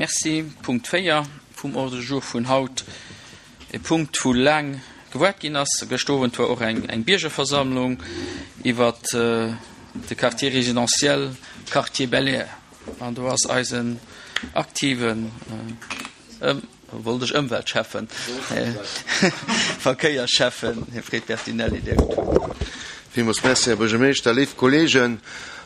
Merci. Punkt 4 vum Ordre du jour vun haut, e Punkt, wou laang gewaart ginn ass. Gëscht Owend war och eng Biergerversammlung iwwert de Quartier résidentiel Quartier Bel-Air. An do ass eisen aktiven, Wollt ech Ëmweltschäffen, Verkéierschäffen, Här Fred Bertinelli, Dir hutt d'Wuert. Villmools Merci, Här Buergermeeschter. Léif Kolleegen,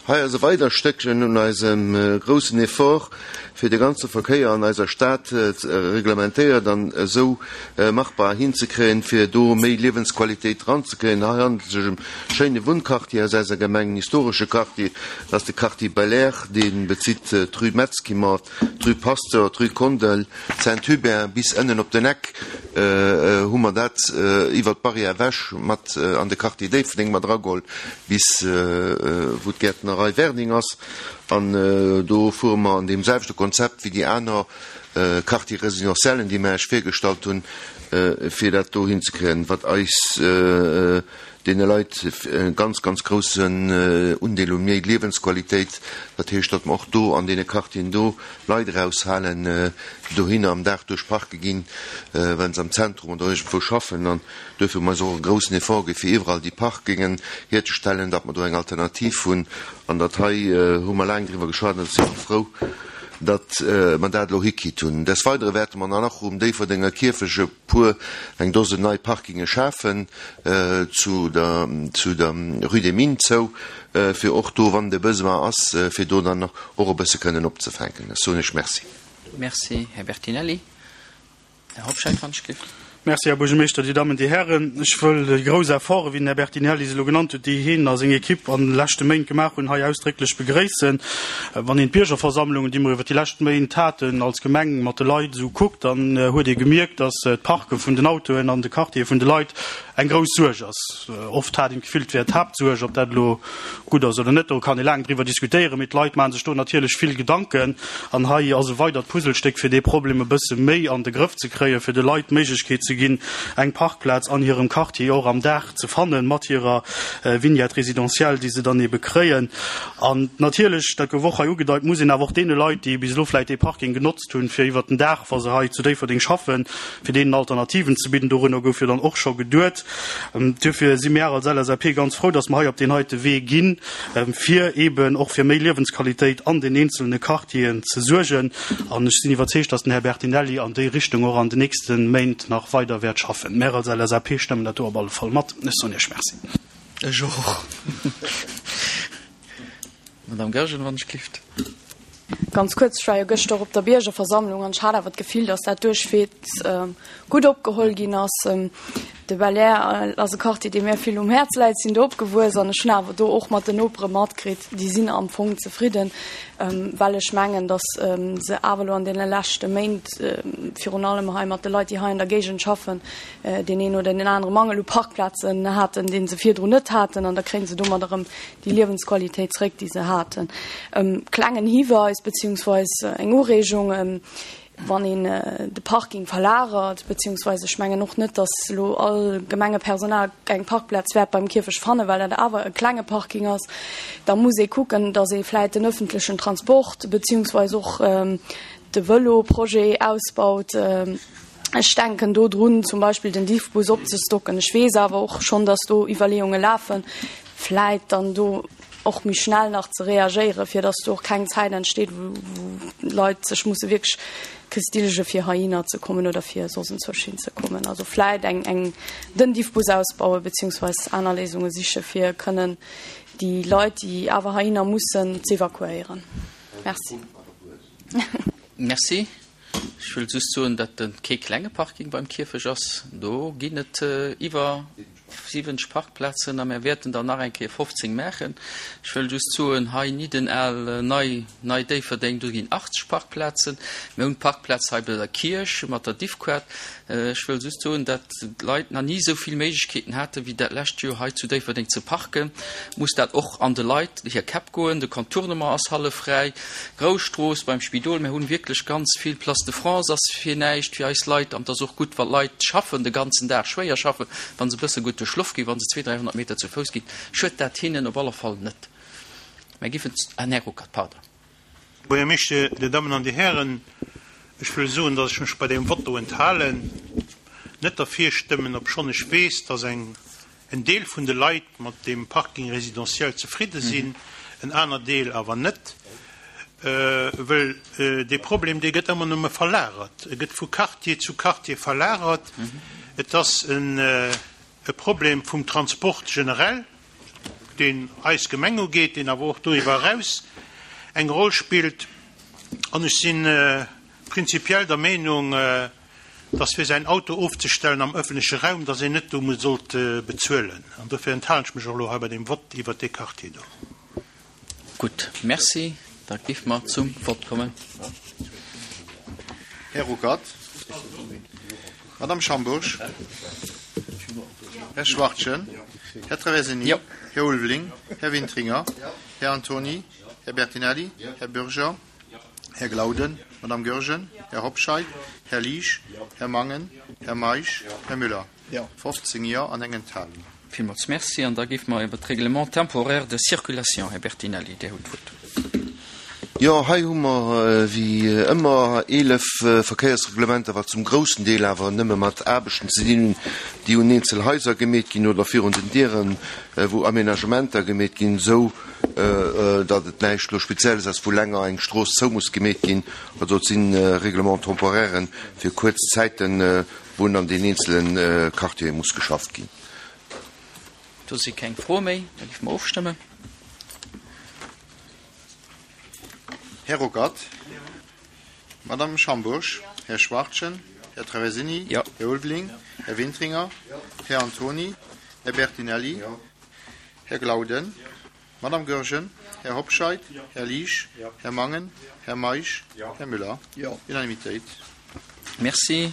hei ass e weider Stéckchen un eisem groussen Effort, fir de ganze Verkéier an eiser Stad reglementéiert an esou machbar hinzekréien, fir do méi Liewensqualitéit dranzekréien. Hei handelt et sech ëm e schéine Wunnquartier aus eiser Gemeng, en historesche Quartier, dat ass de Quartier Belair, dee bezitt d'Rue Metzkimer, D'Rue Pasteur, d'Rue Kondel, Saint-Hubert bis ënnen op den Eck hu mer dat iwwer d'Barrière ewech mat an de Quartier Déifferdeng mat erageholl, bis wou d'Gäertnerei Werding ass. An do fuere mer an deem selwechte Konzept wéi déi aner Quartier résidentiellen, déi mer Iech virgestallt hunn, fir dat do hinzekréien, wat eis deene Leit e ganz, ganz groussen Undeel u méi Liewensqualitéit. Dat heescht, datt mer och do an deene Quartieren do Leit eraushalen, déi dohinner am Dag duerch parke ginn, wa se am Zentrum oder iergendwou schaffen. An duerfir hu mer eis och e groussen Effort gi fir iwwerall déi Parkingen hierzestellen, datt mer do eng Alternativ hunn. An dat hei hu mer laang driwwer geschwat an ech sinn och frou, datt mer dat elo hikritt hunn. Des Weidere wäerte mer dann och um Déifferdenger Kierfech e puer, eng Dosen nei Parkinge schafen zu der, zu der Rue des Mines zou, fir och do, wann de Besoin ass, fir do dann och e bësse kënnen opzefänken. Ech soen Iech Merci. Merci, Här Bertinelli. Här Hobscheit, wann ech géif. Merci, Här Buergermeeschter, Dir Dammen, Dir Hären. Ech wëll déi grouss Efforten, wéi den Här Bertinelli se elo genannt huet, déi hien a seng Equipe an de leschte Méint gemaach hunn, hei ausdrécklech begréissen. Wann een d'Biergerversammlungen, déi mer iwwert déi lescht Méint haten, als Gemeng mat de Leit esou kuckt, dann huet ee gemierkt, dass d'Parke vun den Autoen an de Quartiere vun de Leit eng grouss Suerg ass. Oft hat een d'Gefill, et wär d'Haaptsuerg. Ob dat elo gutt ass oder net, do kann ee laang driwwer diskutéieren, mee d'Leit maache sech do natierlech vill Gedanken. An hei ass e weidert Puzzlestéck, fir dee Problem e bësse méi an de Grëff ze kréien, fir de Leit d'Méiglechkeet ze ginn, eng Parkplaz an hirem Quartier och am Dag ze fannen, mat hirer Vignette résidentielle, déi se dann ebe kréien. An natierlech, dat gouf och hei ugedeit, muss een awer och deene Leit, déi bis elo vläicht dee Parking genotzt hunn, fir iwwert den Dag, wa se hei zu Déifferdeng schaffen, fir deenen Alternativen ze bidden. Dorunner gouf jo dann och scho geduet. Duerfir si mär als LSAP ganz frou, dass mer hei op deen heite Wee ginn, fir eeben och fir méi Liewensqualitéit an den eenzelne Quartieren ze suergen. An ech sinn iwwerzeegt, dass den Här Bertinelli an déi Richtung och an den nächste Méint nach weider wäert schaffen. Mär als LSAP stëmmen dat do op alle Fall mat. Ech soen Iech Merci. Ech och. Madame Goergen, wann ech gelift. Ganz kuerz, Ech war jo gëschter och op der Biergerversammlung an ech hat awer d'Gefill, datt dat duerchwegs gutt opgeholl ginn ass. De Belair ass e Quartier, dee mir vill um Häerz läit, sinn do opgewuess an ech hunn awer do och mat den Nopere matkritt, déi sinn am Fong zefridden, well ech mengen, datt se awer elo an deene leschte Méint, virun allem hei mat de Leit, déi hei an der Géigend schaffen, deen een oder deen anere Mangel u Parkplazen haten, dee se virdrun net haten an da kréie se domat erëm déi Liewensqualitéit zréck, déi se haten. Klengen Hiweis beziehungsweis eng Ureegung, wann een de Parking verlagert, beziehungsweis ech mengen och net, datt elo all Gemengepersonal eng Parkplaz wäert beim Kierfecht fannen, well dat awer e klenge Parking ass, da muss ee kucken, datt ee vläit den öffentlechen Transport beziehungsweis och de Vëlo-Projet ausbaut. Ech denken do drun, zum Beispill den Diffbus opzestocken. Ech weess awer och schonn, datt do Iwwerleeunge lafen, vläit dann do och méi schnell nach ze reagéieren, fir datt do och keng Zäit entsteet, wou d'Leit sech musse wierklech kestillege fir heihinner ze kommen oder fir soss enzwousch hinzekommen. Also vläit eng, eng, den Diffbus ausbauen, beziehungsweis aner Léisunge siche fir kënnen déi Leit, déi awer heihinner mussen, z'evakuéieren. Merci. Merci. Ech wëll just soen, datt et kee klenge Parking beim Kierfech ass. Do ginn et iwwer 70 Parkplazen a mir wäerten der nach eng Kéier 15 maachen. Ech wëll just soen, hei Niddenaal, nei, Nei Déifferdeng, do ginn 80 Parkplazen. Mir hunn d'Parkplaz hei bei der Kierch mat der Diffquart. Ech wëll just soen, datt d'Leit nach ni esou vill Méiglechkeeten haten, wéi dat lescht Joer hei zu Déifferdeng ze parken. Muss dat och an de Leit hir Käpp goen. De Contournement ass hallef fräi, Grousstrooss beim Spidol. Mir hunn wierklech ganz vill. D'Place de France ass fir näischt fir eis Leit. An et ass och gutt, wa Leit schaffen, de ganzen Dag schwéier schaffen, wa se e bësse gutt duerch Loft ginn, wa se 200, 300 Meter zu Fouss ginn, schuet dat hinnen op alle Fall net. Mir giffen, ah, Här Ruckert, pardon. Buergermeeschter, Dir Dammen an Dir Hären. Ech wëll soen, dass ech mech bei deem Vott do enthalen, net derfir stëmmen, obschonn ech weess, dass eng en Deel vun de Leit mat deem Parking résidentiel zefridde sinn, en aner Deel awer net, wëll dee Problem, dee gëtt ëmmer nëmme verlagert. E gëtt vu Quartier zu Quartier verlagert. Et ass e Problem vum Transport generell, deen eis Gemeng ugeet, deen awer och doriwwer eraus eng Roll spillt. An ech si prinzipiell der Meenung, dass fir säin Auto ofzestellen am öffentleche Raum, dass een net do muss sollt bezuelen. An dofir enthalen ech mech och elo hei bei deem Vott iwwert dee Quartier do. Gutt, Merci. Da géife mer zum Vott kommen. Här Ruckert. Madame Schambourg. Här Schwachtgen. Här Traversini. Här Ulveling. Här Wintringer. Här Antony. Här Bertinelli. Här Bürger. Här Glauden, Madame Goergen, Här Hobscheit, Här Liesch, Här Mangen, Här Meisch, Här Müller. 15 Jo an eng Enthalung. Villmools Merci. An da géife mer iwwer d'Règlement temporaire de circulation, Här Bertinelli, Dir hutt d'Wuert. Jo, hei hu mer wéi ëmmer 11 Verkéiersreglementer, wat zum groussen Deel awer nëmme mat Aarbechten ze dinn hunn, déi un eenzel Haiser gemeet ginn oder virun den Dieren, wou Aménagementer gemeet ginn, esou datt et näischt elo Spezielles ass, wou länger eng Strooss zou muss gemeet ginn. Also et si Règlements temporairen fir kuerz Zäiten, wou an den eenzele Quartiere muss geschafft ginn. Do si keng Froe méi, da géife mer ofstëmmen. Här Ruckert. Madame Schambourg. Här Schwachtgen. Här Traversini. Här Ulveling. Här Wintringer. Här Antony. Här Bertinelli. Här Glauden, Madame Goergen, Här Hobscheit, Här Liesch, Här Mangen, Här Meisch, Här Müller. Unanimitéit. Merci.